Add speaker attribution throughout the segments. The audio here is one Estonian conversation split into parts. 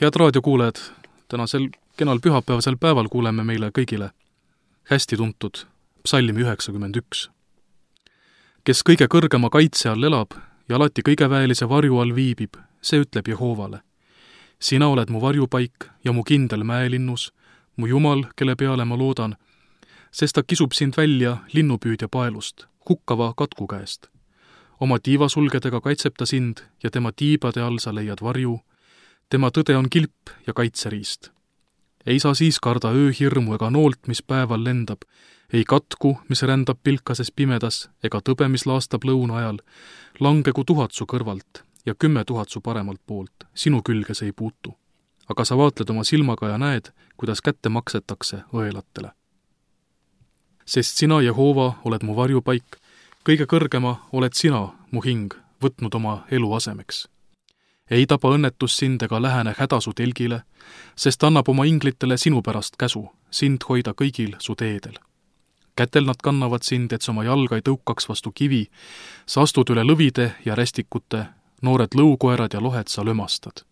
Speaker 1: Head raadiokuulajad, tänasel kenal pühapäevasel päeval kuuleme meile kõigile hästi tuntud psalmi 91. Kes kõige kõrgema kaitse all elab ja alati kõige väelise varju all viibib, see ütleb Jehoovale. Sina oled mu varjupaik ja mu kindel mäelinnus, mu Jumal, kelle peale ma loodan, sest ta kisub sind välja linnupüüdja paelust, hukkava katku käest. Oma tiivasulgedega kaitseb ta sind ja tema tiibade all sa leiad varju. Tema tõde on kilp ja kaitseriist. Ei saa siis karda ööhirmu ega noolt, mis päeval lendab, ei katku, mis rändab pilkases pimedas, ega tõbe, mis laastab lõuna ajal, langegu 1000 su kõrvalt ja 10 000 su paremalt poolt, sinu külge see ei puutu. Aga sa vaatled oma silmaga ja näed, kuidas kätte maksetakse õelatele. Sest sina, Jehoova, oled mu varjupaik, kõige kõrgema oled sina, mu hing, võtnud oma elu asemeks. Ei taba õnnetus sind ega lähene häda su telgile, sest annab oma inglitele sinu pärast käsu, sind hoida kõigil su teedel. Kätel nad kannavad sind, et sa oma jalga ei tõukaks vastu kivi, sa astud üle lõvide ja rästikute, noored lõukoerad ja lohed sa lömastad.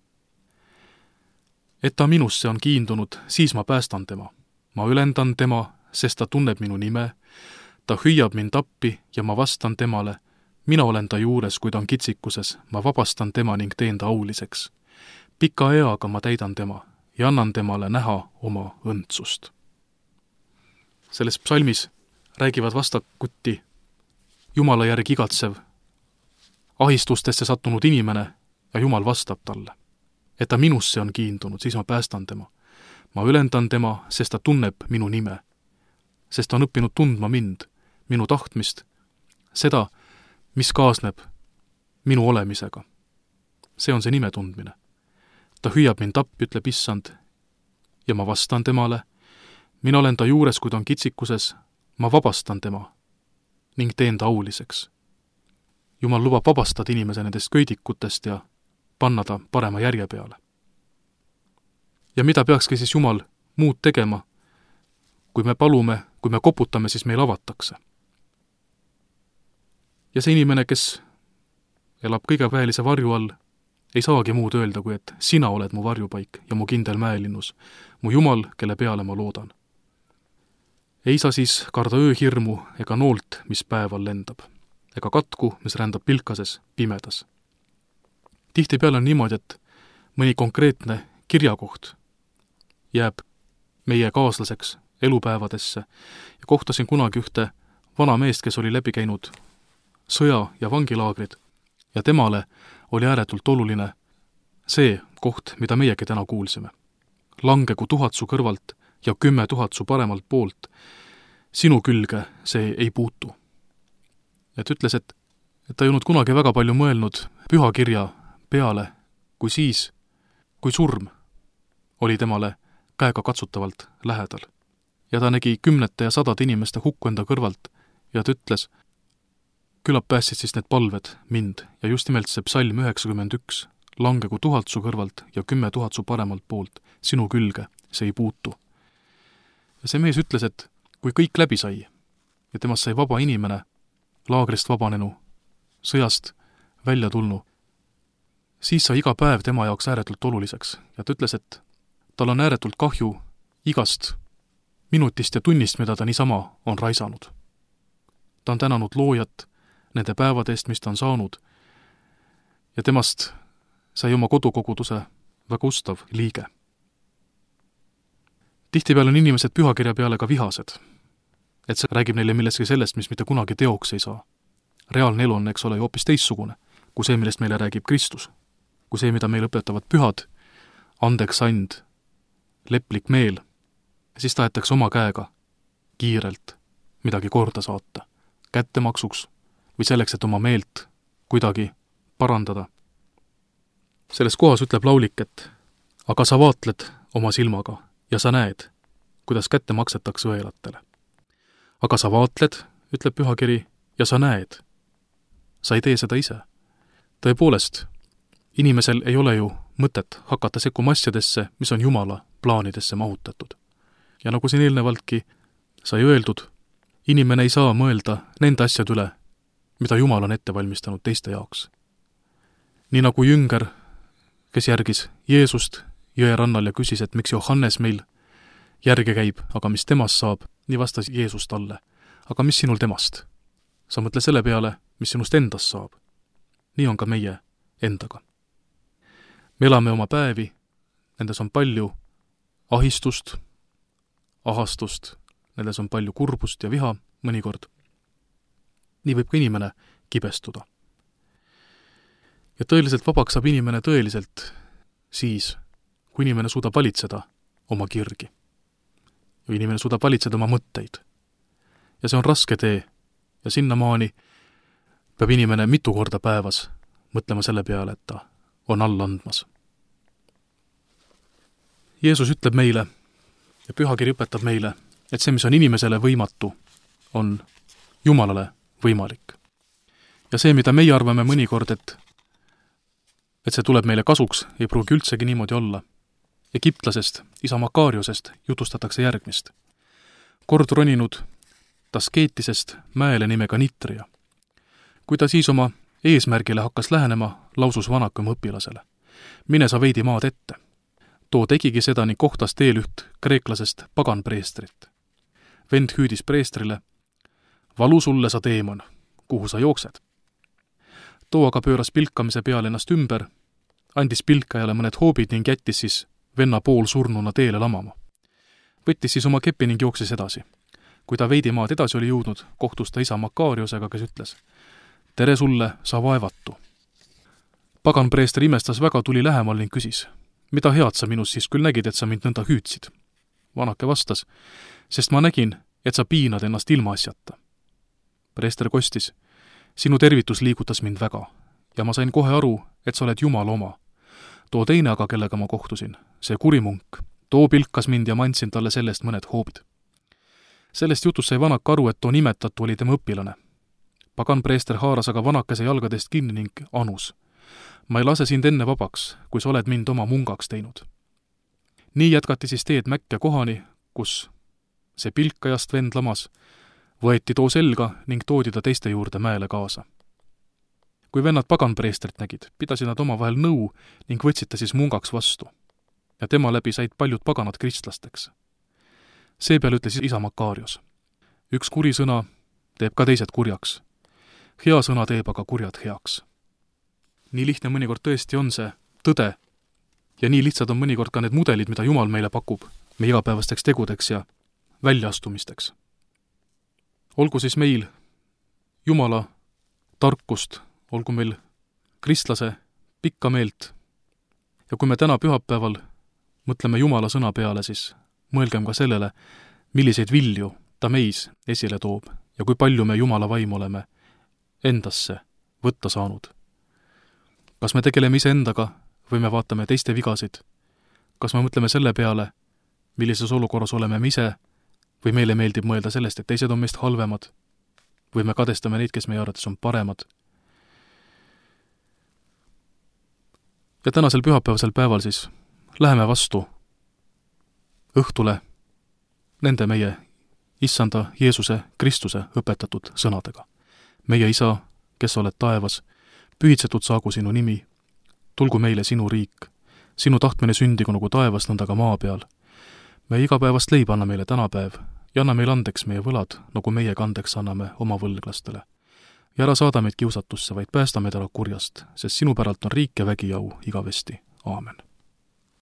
Speaker 1: Et ta minusse on kiindunud, siis ma päästan tema. Ma ülendan tema, sest ta tunneb minu nime, ta hüüab mind appi ja ma vastan temale. Mina olen ta juures, kui ta on kitsikuses, ma vabastan tema ning teen ta auliseks. Pika eaga ma täidan tema ja annan temale näha oma õndsust. Selles psalmis räägivad vastakuti Jumala järgi igatsev, ahistustesse sattunud inimene ja Jumal vastab talle. Et ta minusse on kiindunud, siis ma päästan tema. Ma ülendan tema, sest ta tunneb minu nime. Sest ta on õppinud tundma mind, minu tahtmist, seda, mis kaasneb minu olemisega. See on see nime tundmine. Ta hüüab mind appi, ütleb issand, ja ma vastan temale. Mina olen ta juures, kui ta on kitsikuses, ma vabastan tema ning teen ta auliseks. Jumal lubab vabastada inimese nendest köidikutest ja panna ta parema järje peale. Ja mida peakski siis Jumal muud tegema? Kui me palume, kui me koputame, siis meil avatakse. Ja see inimene, kes elab kõige väelise varju all, ei saagi muud öelda, kui et sina oled mu varjupaik ja mu kindel mäelinnus, mu Jumal, kelle peale ma loodan. Ei saa siis karda ööhirmu ega noolt, mis päeval lendab, ega katku, mis rändab pilkases pimedas. Tihtipeale on niimoodi, et mõni konkreetne kirjakoht jääb meie kaaslaseks elupäevadesse ja kohtasin kunagi ühte vana meest, kes oli läbi käinud sõja- ja vangilaagrid ja temale oli ääretult oluline see koht, mida meiegi täna kuulsime. Langegu 1000 su kõrvalt ja 10 000 su paremalt poolt, sinu külge see ei puutu. Et ütles, et ta ei olnud kunagi väga palju mõelnud pühakirja peale, kui siis, kui surm oli temale käega katsutavalt lähedal. Ja ta nägi 10 ja 100 inimeste hukku enda kõrvalt ja ta ütles, küllap päästsid siis need palved mind ja just nimelt see psalm 91, langegu 1000 su kõrvalt ja 10 000 su paremalt poolt, sinu külge see ei puutu. Ja see mees ütles, et kui kõik läbi sai ja temast sai vaba inimene, laagrist vabanenu, sõjast välja tulnu, siis sai iga päev tema jaoks ääretult oluliseks ja ta ütles, et tal on ääretult kahju igast minutist ja tunnist, mida ta niisama on raisanud. Ta on tänanud loojat nende päevade eest, mis ta on saanud ja temast sai oma kodukoguduse väga ustav liige. Tihtipeale on inimesed pühakirja peale ka vihased, et see räägib neile millestki sellest, mis mitte kunagi teoks ei saa. Reaalne elu on, eks ole, hoopis teissugune, kui see, millest meile räägib Kristus, kui see, mida meile õpetavad pühad, andeks and, leplik meel, siis tahetakse oma käega kiirelt midagi korda saata, kättemaksuks või selleks, et oma meelt kuidagi parandada. Selles kohas ütleb laulik, et aga sa vaatled oma silmaga ja sa näed, kuidas kätte maksetakse õelatele. Aga sa vaatled, ütleb pühakiri, ja sa näed. Sa ei tee seda ise. Tõepoolest, inimesel ei ole ju mõtet hakata sekkuma asjadesse, mis on Jumala plaanidesse mahutatud. Ja nagu siin eelnevaltki sai öeldud, inimene ei saa mõelda nende asjad üle, mida Jumal on ette valmistanud teiste jaoks. Nii nagu jünger, kes järgis Jeesust jõe rannal ja küsis, et miks Johannes meil järge käib, aga mis temast saab, nii vastas Jeesus talle. Aga mis sinul temast? Sa mõtle selle peale, mis sinust endast saab. Nii on ka meie endaga. Me elame oma päevi, nendes on palju ahistust, ahastust, nendes on palju kurbust ja viha mõnikord. Nii võib ka inimene kibestuda. Ja tõeliselt vabaks saab inimene tõeliselt siis, kui inimene suudab valitseda oma kirgi. Või inimene suudab valitseda oma mõtteid. Ja see on raske tee. Ja sinnamaani peab inimene mitu korda päevas mõtlema selle peale, et ta on alla andmas. Jeesus ütleb meile ja pühakiri õpetab meile, et see, mis on inimesele võimatu, on Jumalale võimalik. Ja see, mida meie arvame mõnikord, et see tuleb meile kasuks, ei pruugi üldsegi niimoodi olla. Egiptlasest, isa Makariosest jutustatakse järgmist. Kord roninud Taskeetisest mäele nimega Nitria. Kui ta siis oma eesmärgile hakkas lähenema, lausus vanaka oma õpilasele. Mine sa veidi maad ette. Too tegigi seda ning kohtas teel üht kreeklasest paganpreestrit. Vend hüüdis preestrile, valu sulle sa teemon, kuhu sa jooksed. Too aga pööras pilkamise peale ennast ümber, andis pilkajale mõned hoobid ning jättis siis venna pool surnuna teele lamama. Võttis siis oma kepi ning jooksis edasi. Kui ta veidi maad edasi oli jõudnud, kohtus ta isa Makariosega, kes ütles, tere sulle, sa vaevatu. Paganpreester imestas väga, tuli lähemal ning küsis, mida head sa minus siis küll nägid, et sa mind nõnda hüüdsid? Vanake vastas, sest ma nägin, et sa piinad ennast ilma asjata. Preester kostis, sinu tervitus liigutas mind väga ja ma sain kohe aru, et sa oled Jumala oma. Too teine aga, kellega ma kohtusin, see kurimunk, too pilkas mind ja ma andsin talle sellest mõned hoobid. Sellest jutust sai vanak aru, et too nimetatu oli tema õpilane. Paganpreester haaras aga vanakese jalgadest kinni ning anus. Ma ei lase sind enne vabaks, kui sa oled mind oma mungaks teinud. Nii jätkati siis teed Mäkke kohani, kus see pilkajast vend lamas, võeti too selga ning toodi ta teiste juurde mäele kaasa. Kui vennad paganpreestrit nägid, pidasid nad omavahel nõu ning võtsid ta siis mungaks vastu. Ja tema läbi said paljud paganad kristlasteks. Seepeal ütles isa Makarios. Üks kuri sõna teeb ka teised kurjaks. Hea sõna teeb aga kurjad heaks. Nii lihtne mõnikord tõesti on see tõde ja nii lihtsad on mõnikord ka need mudelid, mida Jumal meile pakub meie igapäevasteks tegudeks ja väljaastumisteks. Olgu siis meil Jumala tarkust, olgu meil kristlase pikka meelt ja kui me täna pühapäeval mõtleme Jumala sõna peale, siis mõelgem ka sellele, milliseid vilju ta meis esile toob ja kui palju me Jumala vaimu oleme endasse võtta saanud. Kas me tegeleme iseendaga või me vaatame teiste vigasid? Kas me mõtleme selle peale, millises olukorras oleme me ise või meile meeldib mõelda sellest, et teised on meist halvemad või me kadestame neid, kes meie arvates on paremad? Ja tänasel pühapäevasel päeval siis läheme vastu õhtule nende meie Issanda Jeesuse Kristuse õpetatud sõnadega. Meie Isa, kes oled taevas, pühitsetud saagu sinu nimi, tulgu meile sinu riik, sinu tahtmine sündigu nagu taevas, nõnda ka maa peal. Meie igapäevast leiba anna meile tänapäev ja anna meile andeks meie võlad, nagu meie andeks anname oma võlglastele. Ja ära saada meid kiusatusse, vaid päästa meid ära kurjast, sest sinu päralt on riik ja vägi ja au igavesti. Aamen.